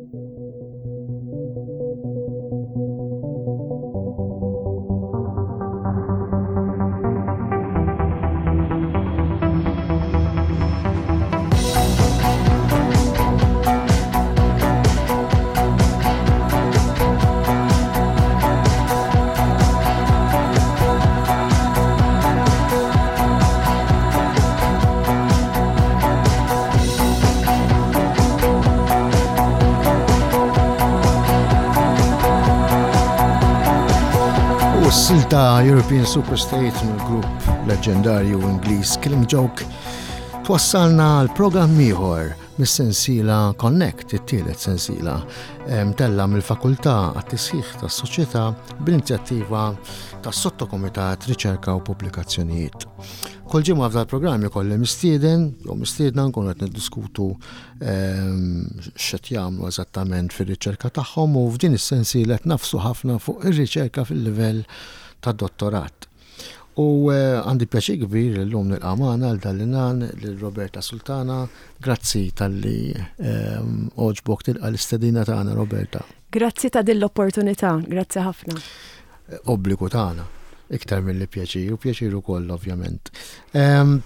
U s-silta European Superstate mill-grupp leġendarju Ingliż Killing Joke twassalna għal programm ieħor mis-sensiela Connect, it-tielet sensiela mtella' mill-Fakultà għat-Tisħiħ tas-Soċjetà b'inizjattiva tas-Sottokumitat Riċerka u Pubblikazzjonijiet. Kull ġimgħa f'dal programm ikolli mistieden jew mistiedna nkunu qed niddiskutu ehm, x'qed jagħmlu eżattament fir-riċerka tagħhom u f'din is-sensiela qed nafsu ħafna fuq ir-riċerka fil-livell tad-dottorat. U eh, għandi pjaċir kbir l-lum nilqa' magħna għal dal-inan lil Roberta Sultana. Grazzi talli ehm, oġbok tilqa' l-istedina tagħna Roberta. Grazzi ta' din l-opportunità, grazzi ħafna. Obbligu tagħna, iktar milli pjaċir, u pjaċir ukoll ovvjament. Ehm,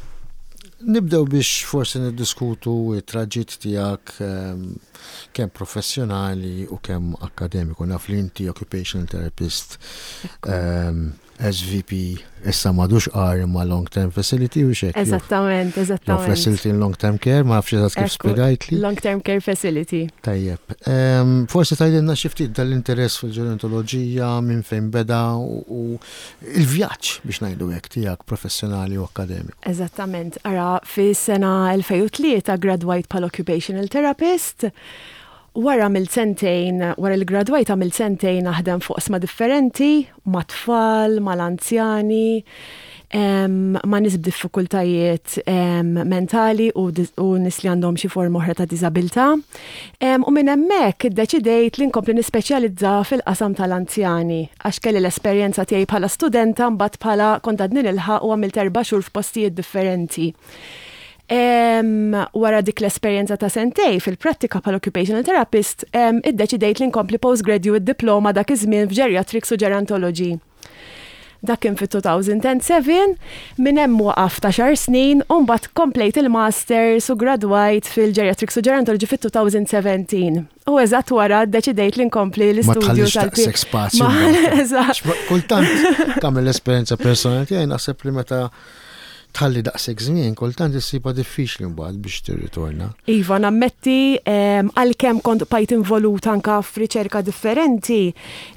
nibdew biex forsi niddiskutu it-traġitt tiegħek ehm, kemm professjonali u kemm akkademiku. Naf li inti occupational therapist SVP issa m'għadux R imma long term facility u xek. Eżattament, eżattament. Facility in long term care, ma nafx eżatt kif spjegajtli. Long term care facility. Tajjeb. Forsi tgħidilna xi ftit dal-interess fil-ġerontoloġija minn fejn beda u il-vjaġġ biex ngħidu hekk tiegħek professjonali u akkademiku. Eżattament. Ara, fis-sena 2003 gradwajt bħala occupational therapist. Wara għamilt sentejn, wara li ggradwajt għamilt sentejn naħdem fuq oqsma differenti, mat-tfal, mal-anzjani, ma' nies b'diffikultajiet mentali u nies li għandhom xi forma oħra ta' diżabilità. U minn hemmhekk iddeċidejt li nkompli nispeċjalizza fil-qasam tal-anzjani għax kelli l-esperjenza tiegħi bħala studenta mbagħad bħala kont għadni nilħaq u għamilt erba' xhur f'postijiet differenti. Wara dik l-esperjenza ta' sentej fil-prattika bħala occupational therapist, iddeċidejt li nkompli postgraduate diploma dak iż-żmien f'geriatrics u gerontology. Dak kien fit-2007, minn hemm waqaft għaxar snin u mbagħad komplejt il-masters u gradwajt fil-geriatrics u gerontology fit-2017. U eżatt wara ddeċidejt li nkompli l-istudju tal-P. spazju. Eżatt. Kultant tagħmel l-esperjenza personali tiegħi naħseb li meta tħalli daqshekk żmien, kultant issibha diffiċli mbagħad biex tirritorna. Iva, nammetti għalkemm kont bqajt involut anka f'riċerka differenti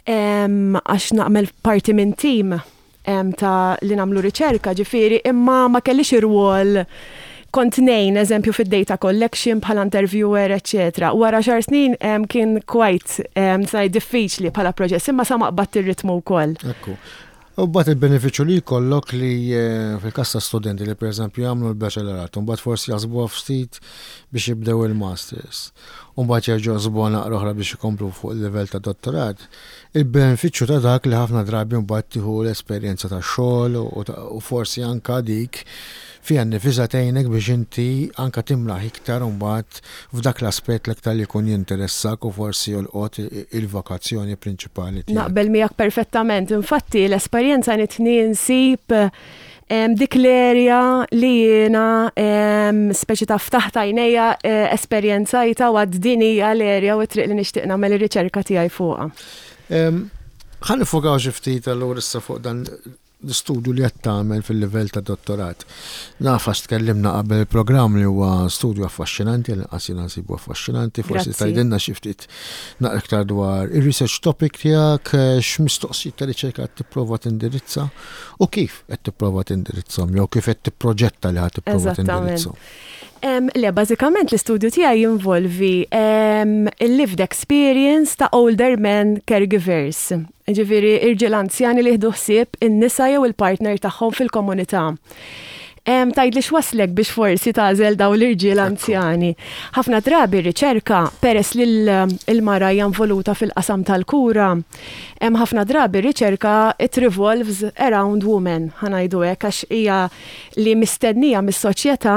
għax nagħmel parti minn tim ta' li nagħmlu riċerka, ġifieri, imma ma kellix irwol kont ngħin eżempju fid-data collection bħala interviewer, eċċetera. Wara xar snin kien quite ngħid diffiċli bħala proċess, imma sa ma qbadt ir-ritmu wkoll. Ekku. U mbagħad il-benefiċċju li jkollok li eh, fil-każ ta' studenti li pereżempju jagħmlu l-bachelorat, u mbagħad forsi jaħsbuha ftit biex jibdew il-masters, u mbagħad jerġgħu jaħsbuha naqra oħra biex ikomplu fuq il-livell ta' dottorat, Il-benefiċċju ta' dak li ħafna drabi mbagħad tieħu l-esperjenza tax-xogħol u forsi anke dik fiha nnifisha tgħinek biex inti anke timraħ iktar mbagħad f'dak l-aspett l-iktar li jkun jinteressak u forsi jolqot il-vokazzjoni prinċipali tiegħek. Naqbel miegħek perfettament. Infatti l-esperjenza għenitni nsib Dik l-area li jiena speċi ta' ftaħt għajnejja eh, esperjenzajta u għad din hija l-area u t-triq li nixtieq nagħmel ir-riċerka tiegħi fuqha. Ħa nifokaw xi ftit allura issa fuq dan l-istudju li qed tagħmel fil-livell ta' dottorat. Naf għax tkellimna qabel il-programm li huwa studju affaxxinanti, l-inqas jiena nsibu affaxxinanti, forsi tgħidilna xi ftit naqra iktar dwar ir-research topic tiegħek, eh, x'mistoqsijiet ta' riċerka qed tipprova tindirizza. U kif qed tipprova tindirizzhom jew kif qed tipproġetta li ħa tipprova tindirizzhom? Le, bażikament l-istudju tiegħi jinvolvi il-lived experience ta' older men caregivers. Ġifieri irġiel anzjani li jieħdu ħsieb in-nisa jew il-partner tagħhom fil-komunità. Tgħidli x'waslek biex forsi tagħżel dawn l-irġiel anzjani. Ħafna drabi r-riċerka, peress li l-mara hija involuta fil-qasam tal-kura, hemm ħafna drabi r-riċerka it revolves around women, ħa ngħidu hekk, għax hija li mistennija mis-soċjetà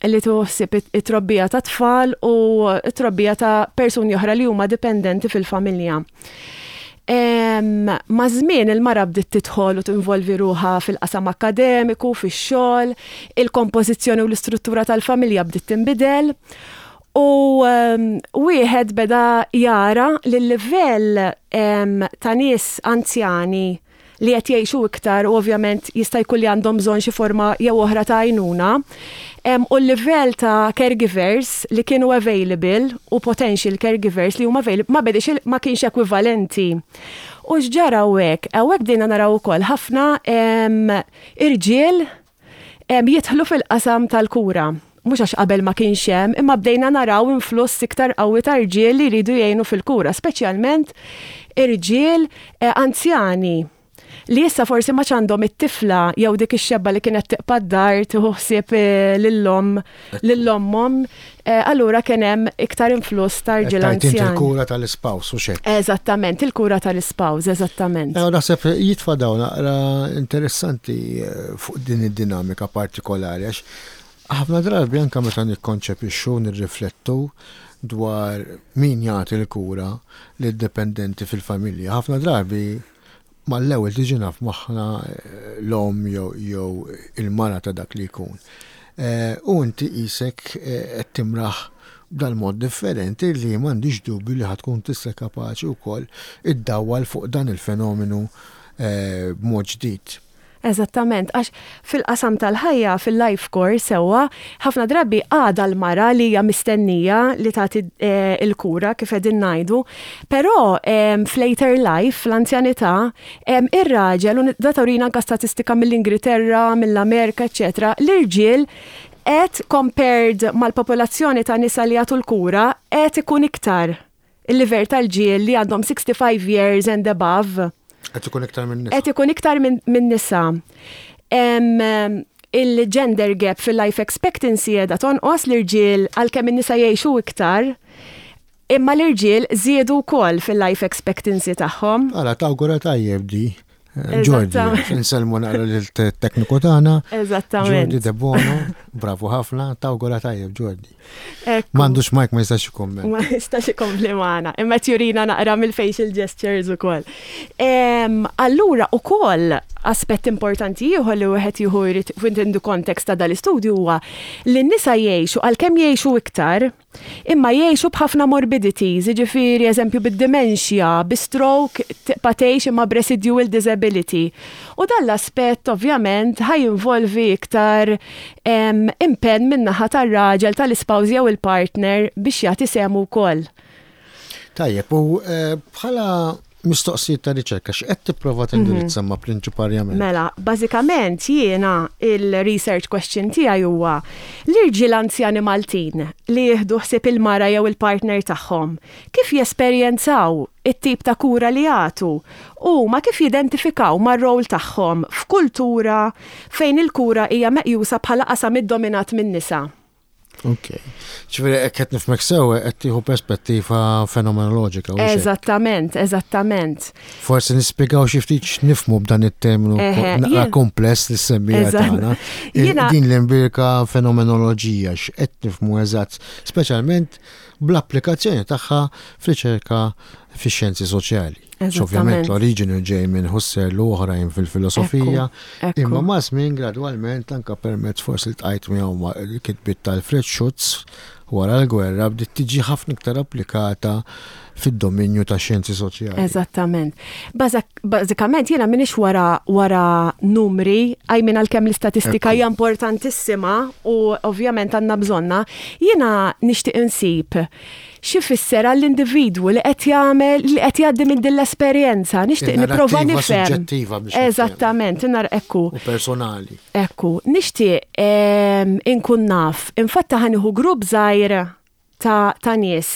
li tieħu ħsieb it-trobbija tat-tfal u t-trobbija ta' persuni oħra li huma dipendenti fil-familja. Maż-żmien il-mara bdiet tidħol u tinvolvi ruħha fil-qasam akkademiku, fix-xogħol, il-kompożizzjoni u l-istruttura tal-familja bdiet tinbidel u wieħed beda jara li l-livell ta' nies anzjani li qed jgħixu iktar u ovvjament jista' jkun li għandhom bżonn xi forma jew oħra ta' għajnuna, u l-livell ta' caregivers li kienu available u potential caregivers li huma available ma bediex ma kienx ekwivalenti. U x'ġara hawnhekk? Hawnhekk bdejna naraw ukoll ħafna irġiel jidħlu fil-qasam tal-kura. Mhux għax qabel ma kienx hemm, imma bdejna naraw influss iktar qawwi ta' rġiel li jridu jgħinu fil-kura, speċjalment irġiel eh, anzjani li issa forsi ma għandhom it-tifla jew dik ix-xebba li kienet tiqpa' d-dar tieħu ħsieb eh, lil-omm lil-ommhom Eh, allura kien hemm iktar influss ta' rġiel anzjani. Il-kura tal-ispaws u xejn. Eżattament, il-kura tal-ispaws, eżattament. Eh, naħseb jitfa' dawn naqra interessanti eh, fuq din id-dinamika partikolari għax ħafna drabi anke meta nikkonċepixxu nirriflettu dwar min jagħti l-kura lid-dipendenti fil-familja. Ħafna drabi mal-ewwel tiġina f'moħħna l-omm jew il-mara ta' dak li jkun. U inti qisek qed timraħ b'dal-mod differenti li m'għandix dubju li ħa tkun tista' kapaċi wkoll iddawwal fuq dan il-fenomenu b'mod ġdid. Eżattament, għax fil-qasam tal-ħajja, fil-life course sewwa, ħafna drabi għadha l-mara li hija mistennija li tagħti l-kura kif qegħdin ngħidu, però f'later life, fl-anzjanità, ir-raġel, u da turina anke statistika mill-Ingilterra, mill-Amerika, eċċetera, l-irġiel qed compared mal-popolazzjoni ta' nisa li jagħtu l-kura qed ikun iktar. Il-livell tal-ġiel li għandhom 65 years and above. Qed ikun iktar minn nisa. Qed ikun iktar minn nisa. Il-gender gap fil-life expectancy qiegħda tonqos l-irġiel għalkemm in-nisa jgħixu iktar, imma l-irġiel żiedu wkoll fil-life expectancy tagħhom. Ara tawgura tajjeb di. Jordi, nselmu naqra l-tekniku tagħna. Eżattament. Jordi De Bono, bravu ħafna, tawgura tajjeb Jordi. M'għandux mic ma jistax ikomment. Ma jistax ikompli magħna, imma jurina naqra mill-facial gestures ukoll. Allura ukoll aspett importanti ieħor li wieħed jieħu jrid within the context ta' dal-istudju huwa li n-nisa jgħixu għalkemm jgħixu iktar, Imma jgħixu b'ħafna morbidities, jiġifieri eżempju bid-dementia, bi stroke tibqa' tgħix imma b'residual disability. U dan l-aspett ovvjament ħa jinvolvi iktar impenn min-naħa tar-raġel, tal-ispouse jew il-partner biex jagħti sehmu wkoll. Tajjeb, u bħala mistoqsijiet ta' riċerka, x'qed tipprova tindirizza ma prinċiparjament? Mela, bażikament jiena il-research question tiegħi huwa l-irġiel anzjani Maltin li jieħdu ħsieb il-mara jew il-partner tagħhom, kif jesperjenzaw it-tip ta' kura li jagħtu u huma kif jidentifikaw mar-role tagħhom f'kultura fejn il-kura hija meqjusa bħala qasam iddominat min-nisa. Ok. Ġifieri hekk qed nifhmek sew qed tieħu perspettiva fenomenoloġika. Eżattament, eżattament. Forsi nispjegaw xi ftit x'nifhmu b'dan it-terminu naqra kompless li semmija tagħna. Din l-imbirka fenomenoloġija x'qed nifhmu eżatt, speċjalment bl-applikazzjoni tagħha f'riċerka fix-xjenzi soċjali. Ovvjament l-oriġini ġej minn Husserl u oħrajn fil-filosofija, imma ma' żmien gradwalment anka permezz forsi ltqajt miegħu l-kitbiet ta' Alfred Schutz wara l-gwerra bdiet tiġi ħafna iktar applikata fid-dominju tax-xjenzi soċjali. Eżattament. Bażikament jiena m'iniex wara wara numri, I mean għalkemm l-istatistika hija importantissima u ovvjament għandna bżonnha, jiena nixtieq insib x'ifisser għall-individwu li qed jagħmel li qed jgħaddi minn din l-esperjenza. Nixtieq nipprova nifhem. Eżattament, nar ekku. U personali. Ekku, nixtieq ehm, inkun naf. Infatta ħaniħu grupp żgħir. ta', ta nies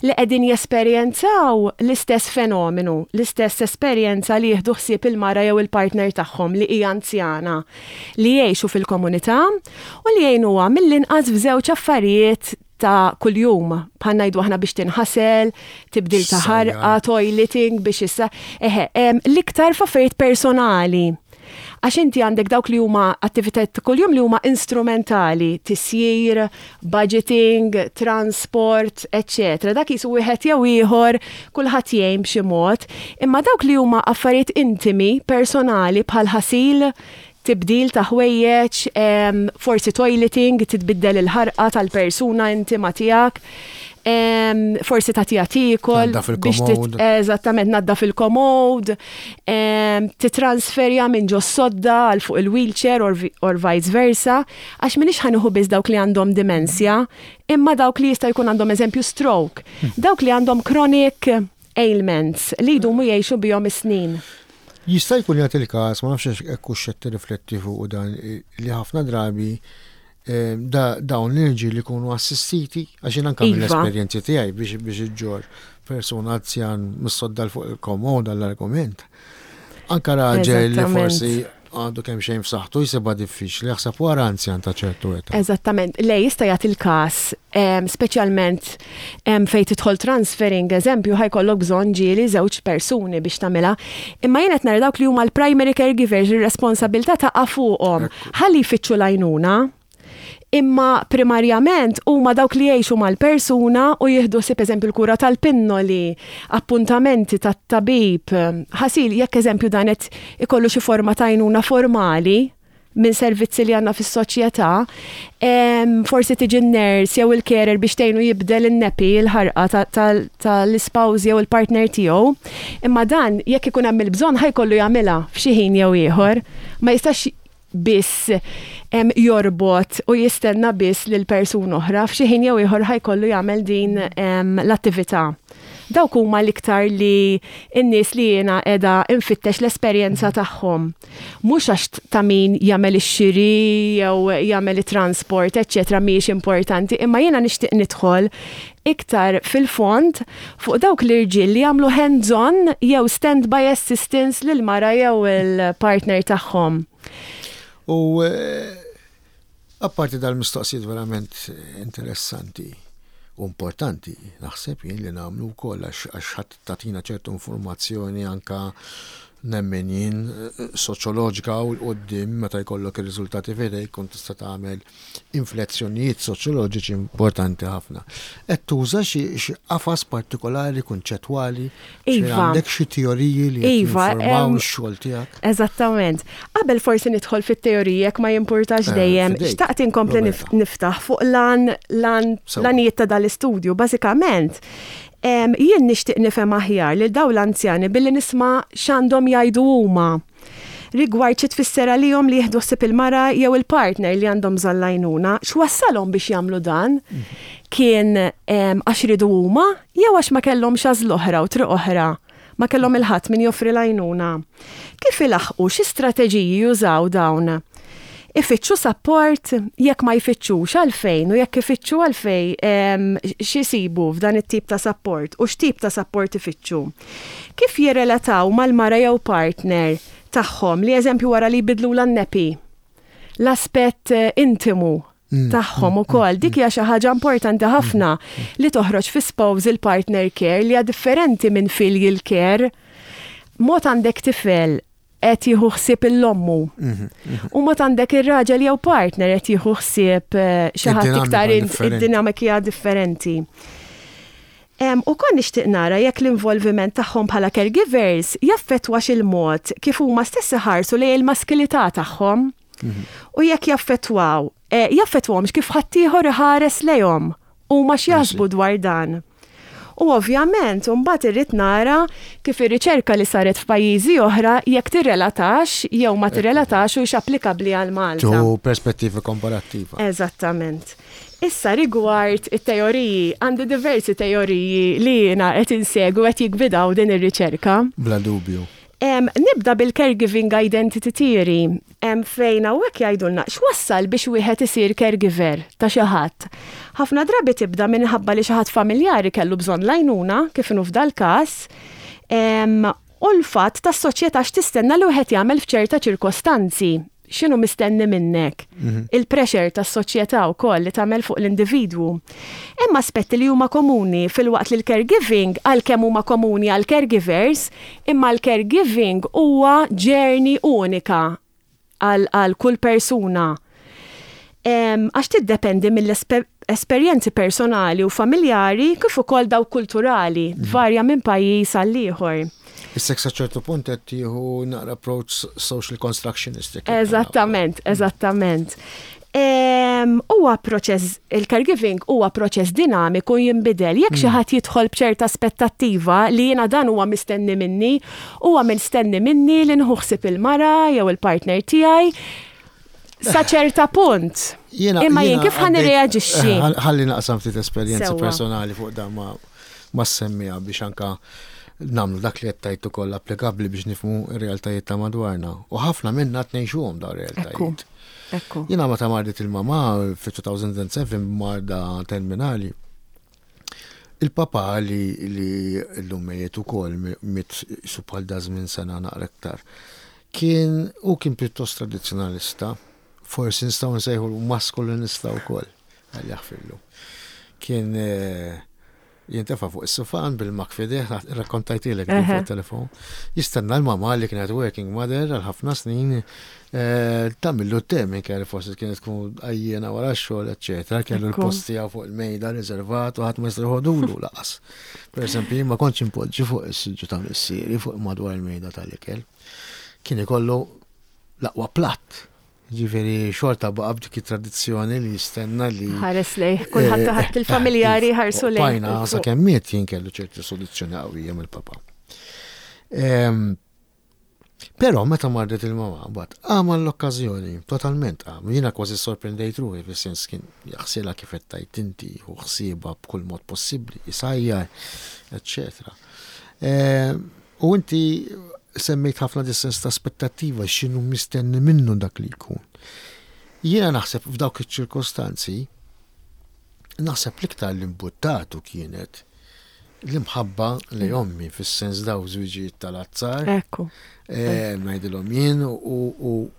li qegħdin jesperjenzaw l-istess fenomenu, l-istess esperjenza li jieħdu ħsieb il-mara jew il-partner tagħhom li hija anzjana, li jgħixu fil-komunità u li jgħinuha mill-inqas f'żewġ affarijiet ta' kuljum, bħal ngħidu aħna biex tinħasel, tibdil ta' ħarqa, toileting biex issa, eħe, l-iktar f'affarijiet personali. Għax inti għandek dawk li huma attivitajiet ta' kuljum li huma instrumentali, tisjir, budgeting, transport, eċċetera. Dak jisu wieħed jew ieħor, kulħadd jgħin b'xi mod, imma dawk li huma affarijiet intimi, personali bħal ħasil, tibdil ta' ħwejjeġ, forsi toileting, titbiddel il-ħarqa tal-persuna intima tiegħek, forsi tagħtiha tiekol. Biex eżattament naddaf il-komod, titransferja minn ġo sodda għal fuq il-wheelchair or, or vice versa, għax minix ħa nieħu biss dawk li għandhom dimensja, imma dawk li jista' jkun għandhom eżempju stroke, dawk li għandhom chronic ailments li jdumu jgħixu bihom is-snin. Jista' jkun jagħti l-każ, ma nafx hekk hux qed tirrifletti fuq dan li ħafna drabi eh, dawn l-irġiel li jkunu assistiti, għax jien anke iva. mill-esperjenzi tiegħi biex biex iġġor persuna anzjan mis-sodda fuq il-komoda l-argument. Anka raġel li forsi għandu kemm xejn f'saħħtu jsibha diffiċli jaħseb wara anzjan ta' ċertu età. Eżattament, le jista' jagħti l-każ, speċjalment fejn tidħol transferring, eżempju, ħajkollok bżonn ġieli żewġ persuni biex tagħmilha. Imma jien qed nara dawk li huma l-primary caregivers, ir-responsabilità taqa' fuqhom. Ħalli jfittxu l-għajnuna, imma primarjament huma dawk li jgħixu mal-persuna u jieħdu ħsieb eżempju l-kura tal-pinnoli, appuntamenti tat-tabib, ħasil jekk eżempju dan qed ikollu xi forma ta' għajnuna formali minn servizzi li għandna fis-soċjetà, forsi tiġi n-nurse jew il-carer biex tgħinu jibdel in-nappy, il-ħarqa tal-ispouse jew il-partner tiegħu. Imma dan jekk ikun hemm il-bżonn ħa jkollu jagħmilha f'xi ħin jew ieħor. Ma jistax biss jorbot u jistenna biss lil persuna oħra, f'xi ħin jew ieħor ħa jkollu jagħmel din l-attività. Dawk huma l-iktar li n-nies li jiena qiegħda nfittex l-esperjenza tagħhom. Mhux għax ta' min jagħmel ix-xiri jew jagħmel it-transport, eċċetera mhijiex importanti, imma jiena nixtieq nidħol iktar fil-fond fuq dawk l-irġiel li jagħmlu hands-on jew stand-by assistance lill-mara jew il-partner tagħhom. U apparti dal-mistoqsijiet verament interessanti u importanti, naħseb jien li nagħmlu wkoll għax ħadd tagħtina ċertu informazzjoni anka nemmen jien soċjoloġika u l-qoddim meta jkollok ir-riżultati f'idejk kont tista' tagħmel inflezzjonijiet soċjoloġiċi importanti ħafna. Qed tuża xi qafas partikolari kunċettwali? Iva. Għandek xi teoriji li iva, jinformaw ix-xogħol tiegħek? Eżattament. Qabel forsi nidħol fit-teoriji jekk ma jimpurtax eh, dejjem, xtaqt inkompli niftaħ fuq lan lan l-għanijiet ta' dal-istudju. Bażikament, jien nixtieq nifhem aħjar lil dawn l-anzjani billi nisma' x'għandhom jgħidu huma rigward xi tfisser għalihom li jieħdu ħsieb il-mara jew il-partner li għandhom bżonn l-għajnuna, x'wassalhom biex jagħmlu dan? Kien għax riedu huma jew għax ma kellhomx għażla oħra u triq oħra? Ma kellhom il-ħadd min joffri l-għajnuna. Kif ilaħħqu, xi strateġiji jużaw dawn? Ifittxu sapport? Jekk ma jfittxux, għalfejn? U jekk ifittxu għalfejn x'isibu f'dan it-tip ta' sapport u x'tip ta' sapport ifittxu? Kif jirrelataw mal-mara jew partner tagħhom li eżempju wara li jbiddlulha n-nappy, l-aspett intimu tagħhom ukoll. Dik hija xi ħaġa importanti ħafna li toħroġ fi spousal partner care li hija differenti minn filial care. Mod għandek tifel qed jieħu ħsieb il-ommu. U mod għandek ir-raġel jew partner qed jieħu ħsieb eh, xi ħadd iktar id-dinamika hija differenti. U kon nixtieq nara jekk l-involviment tagħhom bħala caregivers jaffettwax il-mod kif huma stess iħarsu lejn il-maskilità tagħhom. U jekk jaffettwaw, eh, jaffettwahomx kif ħaddieħor iħares lejhom huma x'jaħsbu dwar dan. U ovvjament, imbagħad irrid nara kif ir-riċerka li saret f'pajjiżi oħra jekk tirrelatax jew ma tirrelatax u hix applikabbli għal Malta. Tieħu perspettiva komparattiva. Eżattament. Issa rigward it-teoriji, għandi diversi teoriji li jiena qed insegwi u qed jiggwidaw din ir-riċerka. Bla dubju. Nibda bil-caregiving identity theory, fejn hawnhekk jgħidulna x'wassal biex wieħed isir caregiver ta' xi ħadd. Ħafna drabi tibda minħabba li xi ħadd familjari kellu bżonn l-għajnuna, kif inhu f'dal-każ, u l-fatt tas-soċjetà x'tistenna li wieħed jagħmel f'ċerta ċirkostanzi. X'inhu mistenni minnek? Il-pressure tas-soċjetà wkoll li tagħmel fuq l-individwu. Hemm aspetti li huma komuni filwaqt li l-caregiving għalkemm huma komuni għal caregivers, imma l-caregiving huwa journey unika għal kull persuna. Għax tiddependi mill-esperjenzi personali u familjari kif ukoll dawk kulturali, tvarja minn pajjiż għal ieħor. Issa sa ċertu punt qed tieħu naqra approach social constructionistic. Eżattament, eżattament. Huwa proċess, il-caregiving huwa proċess dinamiku jinbidel. Jekk xi ħadd jidħol b'ċerta aspettattiva li jiena dan huwa mistenni minni, huwa mistenni minni li nieħu ħsieb il-mara jew il-partner tiegħi sa ċerta punt. Imma jien kif ħa nirreaġixxi? Ħalli naqsam ftit esperjenzi personali fuq dan ma semmija biex anka nagħmlu dak li qed tgħid ukoll applikabbli biex nifhmu r-realtajiet ta' madwarna. U ħafna minna qed ngħixuhom dawn ir-realtajiet. Ekku. Jiena meta mardet il-mama fi 2007 marda terminali. Il-papa li li llum mejjet ukoll miet su bħal da żmien sena naqra iktar. Kien u kien pjuttost tradizzjonalista, forsi nistgħu nsejħu maskulinista wkoll, għal jaħfirlu. Kien jintefa' fuq is-sufan bil-mug f'idejh, rakkontajtilek fuq telefon. Jistenna l-mama li kienet working mother għal ħafna snin tagħmillu te minn kelli forsi kienet tkun għajjiena wara x-xogħol, eċċetera, kellu l-post tiegħu fuq il-mejda riservat u ħadd ma jista' joħodulu laqas. Per eżempju, jien ma kontx impoġġi fuq is-siġġu ta' missieri fuq madwar il-mejda tal-ikel. Kien ikollu l-aqwa platt. Ġifieri xorta baqa' b'dik it-tradizzjoni li jistenna li. Ħares lejh, kulħadd taħt il-familjari ħarsu lejh. Bajna sa kemm miet jien kellu ċerti soluzzjoni qawwija mill-papa. Però meta mardet il-mama, bat qam l-okkażjoni, totalment qam. Jiena kważi sorprendejt ruħi fis-sens kien jaħsilha kif qed tgħid inti u ħsiebha b'kull mod possibbli, isajjar, eċċetera. U inti semmejt ħafna dis-sens ta' aspettattiva x'inhu mistenni minnu dak li jkun. Jiena naħseb f'dawk iċ-ċirkostanzi, naħseb l-iktar li mbuttatu kienet l-imħabba li ommi fis-sens daw żwiġijiet tal-azzar. Ekku. Ngħidilhom jien u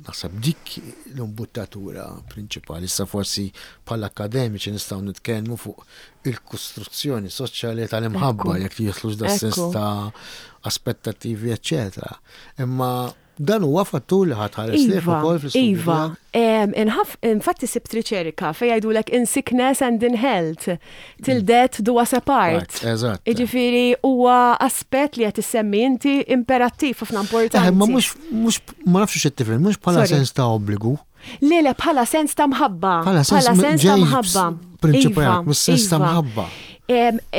naħseb dik l-imbuttatura prinċipali. Issa forsi bħala akademiċi nistgħu nitkellmu fuq il-kostruzzjoni soċjali tal-imħabba jekk jidħlux da sens ta' aspettattivi, eċċetera. Imma dan huwa fattur li ħadd ħares lejh Iva, ukoll fl-istudju iva. tiegħek. Infatti sibt riċerka fejn jgħidulek in sickness and in health, till death do us apart. Eżatt. Jiġifieri huwa aspett li qed issemmi inti imperattiv ħafna importanti. Ma mhux ma nafx x'qed tifhem, mhux bħala Sorry. sens ta' obbligu. Le, le, bħala sens ta' mħabba. Bħala sens Bħala sens ta' ġej mħabba. prinċipali, Iva, mhux sens ta' iva. mħabba.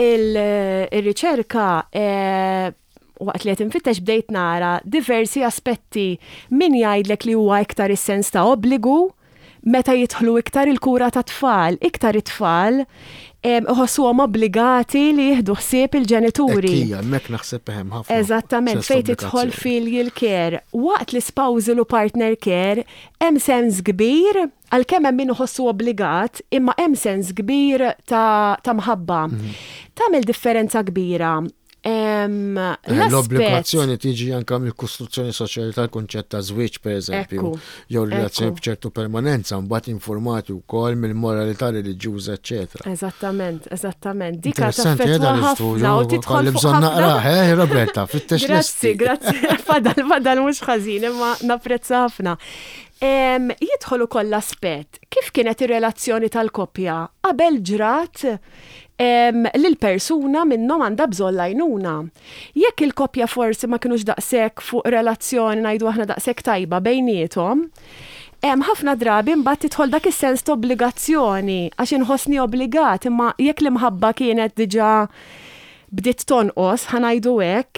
Il-riċerka waqt li qed infittex bdejt nara diversi aspetti min jgħidlek li huwa iktar is-sens ta' obbligu meta jidħlu iktar il-kura ta' tfal, iktar it-tfal iħossuhom obbligati li jieħdu ħsieb il-ġenituri. Ekkija, hemmhekk naħseb hemm ħafna. Eżattament, sens ta' fejn tidħol obbligazzjoni. filial care. Waqt li spousal u partner care, hemm sens kbir, għalkemm hemm min iħossu obbligat, imma hemm sens kbir ta' mħabba. Tagħmel differenza kbira. L-aspett L-obbligazzjoni tiġi anka mill-kostruzzjoni soċjali tal-kunċett ta' żwieġ, per eżempju, jew relazzjoni b'ċertu permanenza, mbagħad informati wkoll mill-moralità reliġjuża, eċċetera. Eżattament, eżattament. Dika Interessanti, taffettwa dan l-istudju, ħafna u tidħol kolli fuq bżonn ħafna. naqrah, Roberta, fittex Grazzi, lesti. grazzi. Fadal, fadal mhux ħażin, imma napprezza ħafna. Jidħol ukoll l-aspett kif kienet ir-relazzjoni tal-koppja qabel ġrat li l-persuna minnhom għandha bżonn l-għajnuna. Jekk il-koppja forsi ma kinux daqshekk fuq relazzjoni ngħidu aħna daqshekk tajba bejniethom, ħafna drabi mbagħad tidħol dak is-sens ta' obbligazzjoni għax inħossni obbligat, imma jekk l-imħabba kienet diġà bdiet tonqos, ħa ngħidu hekk,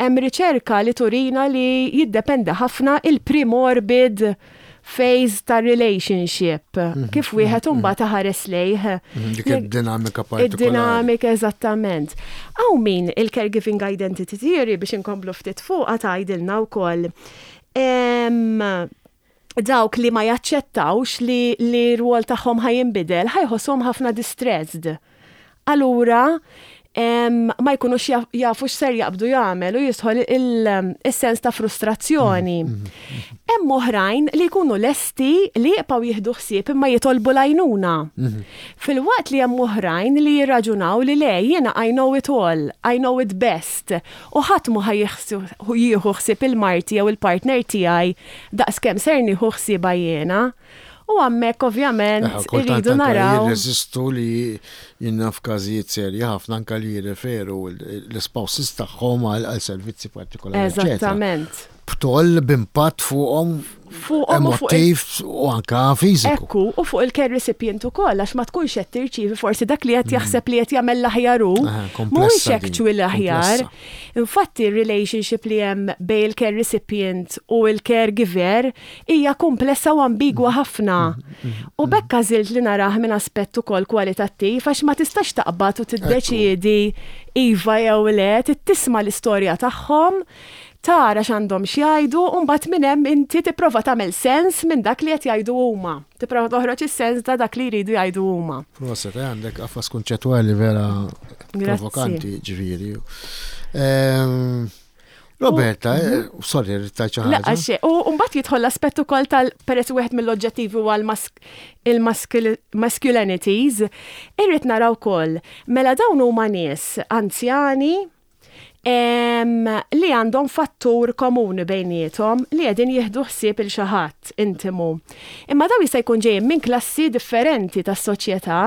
hemm riċerka li turina li jiddependi ħafna il-premorbid phase ta' relationship, kif wieħed imbagħad iħares lejh. Dik id-dinamika partikolari. Id-dinamika eżattament. Hawn min il-caregiving identity theory biex inkomplu ftit fuqha tgħidilna wkoll dawk li ma jaċċettawx li li r-rwol tagħhom ħa jinbidel ħa jħossuhom ħafna distressed. Allura ma jkunux jafu x'ser jaqbdu jagħmel u jidħol is-sens ta' frustrazzjoni. Hemm oħrajn li jkunu lesti li jibqgħu jieħdu ħsieb imma jitolbu l-għajnuna. Filwaqt li hemm oħrajn li jirraġunaw li le jiena I know it all, I know it best u ħadd mhu ħa jieħu ħsieb il-marti jew il-partner tiegħi daqskemm ser nieħu ħsiebha jiena. U hemmhekk ovvjament Kultant irridu anka naraw. jirreżistu li jiena f'każijiet serji ħafna anka li jirreferu l-spouses tagħhom għal servizzi partikolari, eċetera. Eżattament. B'toll b'impatt fuqhom Fuqhom u fuq il- emotiv u anka fiżiku. Ekku, u fuq il-care recipient ukoll għax ma tkunx qed tirċievi forsi dak li qed jaħseb li qed jagħmel l-aħjar hu, Aha, mhuwiex komplessa din, actually l-aħjar. komplessa. Infatti relationship li hemm bejn il-care recipient u il-caregiver hija komplessa u ambigwa ħafna. U b'hekk għażilt li narah minn aspett ukoll kwalitattiv għax ma tistax taqbad u tiddeċiedi iva jew le, trid tisma' l-istorja tagħhom, tara x'għandhom x'jgħidu u mbagħad minn hemm inti tipprova tagħmel sens minn dak li qed jgħidu huma. Tipprova toħroġ is-sens ta' dak li jridu jgħidu huma. Proset, għandek qafas kunċettwali vera Grazzi. provokanti ġifieri. Roberta, sorry, rrid xi La, ħaġa. għax, u mbagħad jidħol l-aspett ukoll tal peress wieħed mill-oġġettivi huwa il-masculinities, irrid naraw ukoll mela dawn huma nies anzjani li għandhom fattur komuni bejniethom li qegħdin jieħdu ħsieb il xi ħadd intimu. Imma daw jista' jkun ġejjin minn klassi differenti tas-soċjetà,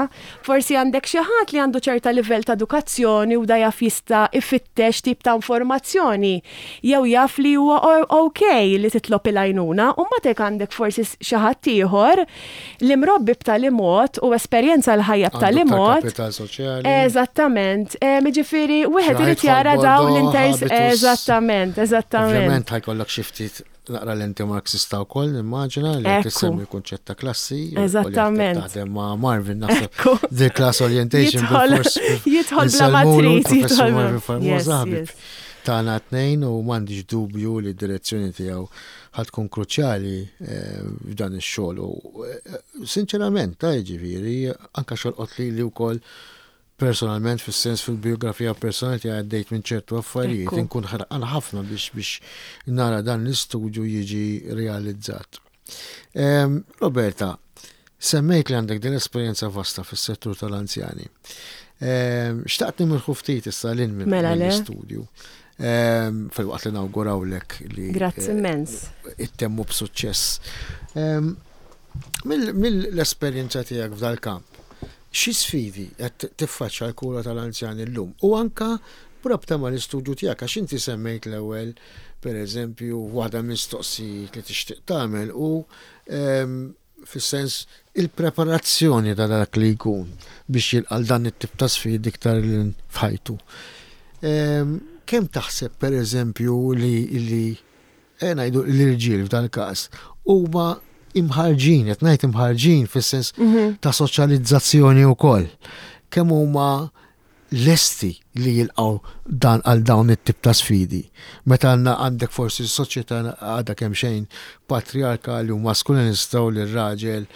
forsi għandek xi ħadd li għandu ċerta livell ta' edukazzjoni u da jaf jista' ifittex tip ta' informazzjoni jew jaf li huwa ok li titlob il-għajnuna, u mbagħad hekk għandek forsi xi ħadd ieħor li mrobbi b'tali mod u esperjenza l-ħajja b'tali Għandu iktar mod. kapital soċjali. Eżattament, jiġifieri wieħed Xi irid ħadd jara bħal daw Bordeaux, l-inters. habitus. Eżattament, eżattament. Ovvjament ħa jkollok xi ftit naqra l-enti marxista wkoll, nimmaġina li Ekku. tissemmi kunċett ta' klassi. u Eżattament. Taħdem ma' Marvin naħseb Ekku. the class orientation Jidħol- jidħol bla ma trid, Professur jidħol- Marvin Formosa Yes, ħabib yes. tagħna tnejn u m'għandix dubju li d-direzzjoni tiegħu ħa tkun kruċjali f'dan ix-xogħol. U sinċerament, ta' jiġifieri, anka xolqot li li wkoll personalment fis-sens fil-biografija personali tiegħi għaddejt minn ċertu affarijiet Ekku. inkun ħerqan ħafna biex nara dan l-istudju jiġi realizzat. Roberta, semmejt li għandek din esperjenza vasta fis-settur tal-anzjani. Xtaqt nimirħu ftit issa lil minn Mela le. l-istudju. Fil-waqt li nawgurawlek li Grazzi immens. ittemmu b'suċċess. Mill-esperjenza tiegħek f'dal-kamp, xi sfidi qed tiffaċċja l-kura tal-anzjani llum u anka b'rabta mal-istudju tiegħek għax inti semmejt l-ewwel pereżempju waħda mistoqsijiet li tixtieq tagħmel u fis-sens il-preparazzjoni ta' dak li jkun biex jilqa' dan it-tip ta' sfidi iktar lil f'ħajtu. Kemm taħseb pereżempju li ngħidu l-irġiel f'dan il-każ huma imħarġin, qed ngħid imħarġin fis-sens ta' soċjalizzazzjoni wkoll. Kemm huma lesti li jilqgħu dan għal dawn it-tip ta' sfidi. Meta għandna għandek forsi s-soċjetà għadha kemm xejn patriarkali u maskulinista u l-raġel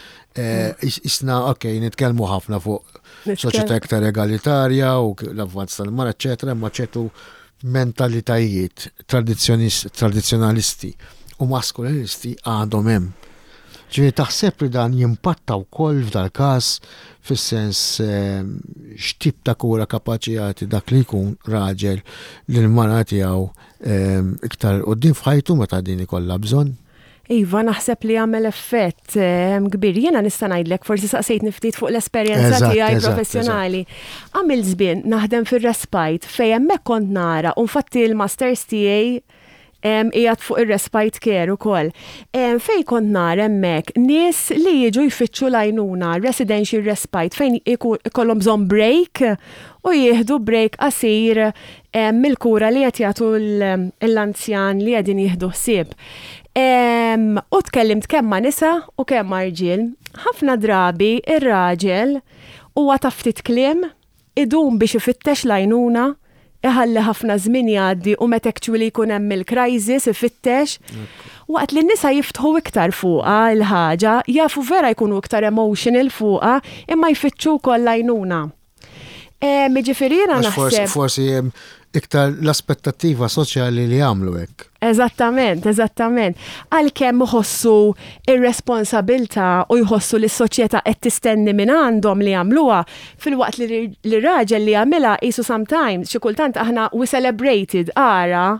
isna, ok, nitkellmu ħafna fuq soċjetà iktar egalitarja u l-avvanz tal-mara, eċetera, imma ċertu mentalitajiet tradizzjonalisti u maskulinisti għadhom hemm. Ġifieri taħseb li dan jimpatta wkoll f'dal-każ fis-sens x'tip ta' kura kapaċi jagħti dak li jkun raġel lil mara tiegħu iktar quddiem f'ħajtu meta din ikollha bżonn? Iva, naħseb li għamel effett kbir. Jiena nista' ngħidlek, forsi saqsejtni ftit fuq l-esperjenza tiegħi professjonali. Għamil żmien naħdem fir-respite fejn hemmhekk kont nara, u infatti l-masters tiegħi qiegħed fuq ir-respite care ukoll. Fejn kont nara hemmhekk nies li jiġu jfittxu l-għajnuna, residential respite, fejn ikollhom bżonn break u jieħdu break qasir mill-kura li qed jagħtu l-anzjan li qegħdin jieħdu ħsieb. U tkellimt kemm ma' nisa u kemm ma' rġiel. Ħafna drabi ir-raġel huwa ta' ftit kliem, idum biex ifittex l-għajnuna, iħalli ħafna żmien jgħaddi u meta actually jkun hemm il-crisis ifittex. Waqt li n-nisa jiftħu iktar fuqha l-ħaġa, jafu vera jkunu iktar emotional fuqha, imma jfittxu wkoll l-għajnuna. Jiġifieri jiena naħseb. Forsi hemm iktar l-aspettattiva soċjali li jagħmlu hekk. Eżattament, eżattament. Għalkemm iħossu ir-responsabilità u jħossu li s-soċjetà qed tistenni minn għandhom li jagħmluha, filwaqt li l-raġel li jagħmilha qisu sometimes, xi kultant aħna we celebrated, ara,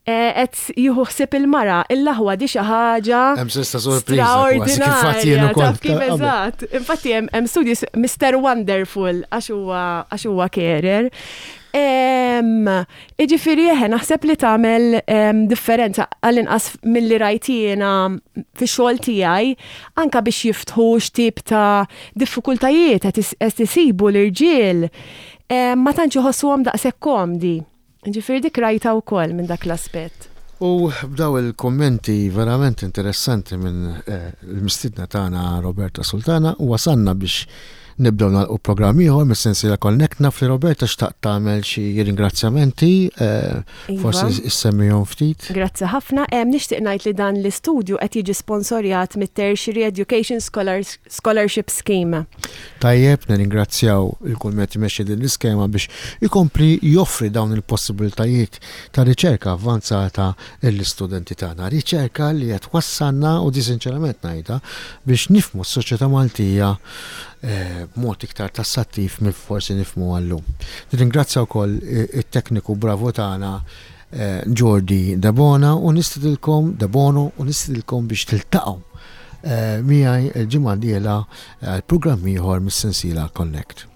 qed jieħu ħsieb il-mara, il-aħwa di xi ħaġa. Hemm sens ta' sorpriża. Straordinarja. Taf kif eżatt. Infatti hemm studji Mr. Wonderful għax huwa għax huwa carer. Iġifieri eħe naħseb li tagħmel differenza għall-inqas milli rajt jiena fix-xogħol tiegħi anke biex jiftħu x'tip ta' diffikultajiet qed isibu l-irġiel ma tantx iħossuhom daqshekk komdi. Ġifieri dik rajtha wkoll minn dak l-aspett. U b'daw il-kummenti verament interessanti minn l-mistiedna tagħna Roberta Sultana wasalna biex nibdew nagħlqu programm ieħor mis-sensiela Connect. Naf li Roberta xtaqt tagħmel xi ringrazzjamenti, forsi issemmihom ftit. Grazzi ħafna. Nixtieq ngħid li dan l-istudju qed jiġi sponsorjat mit-Tertiary Education Scholarship Scheme. Tajjeb, nirringrazzjaw lil kull min qed imexxi din l-iskema biex ikompli joffri dawn il-possibiltajiet ta' riċerka avvanzata lill-istudenti tagħna. Riċerka li qed twassalna, u di sinċerament ngħidha, biex nifhmu s-soċjetà Maltija b'mod iktar tassattiv milli forsi nifhmuha llum. Nirringrazzja wkoll it-tekniku bravu tagħna Jordi Debona u nistidilkom Debono u nistidilkom biex tiltaqgħu miegħi l-ġimgħa d-dieħla għal programm ieħor mis-sensiela Connect.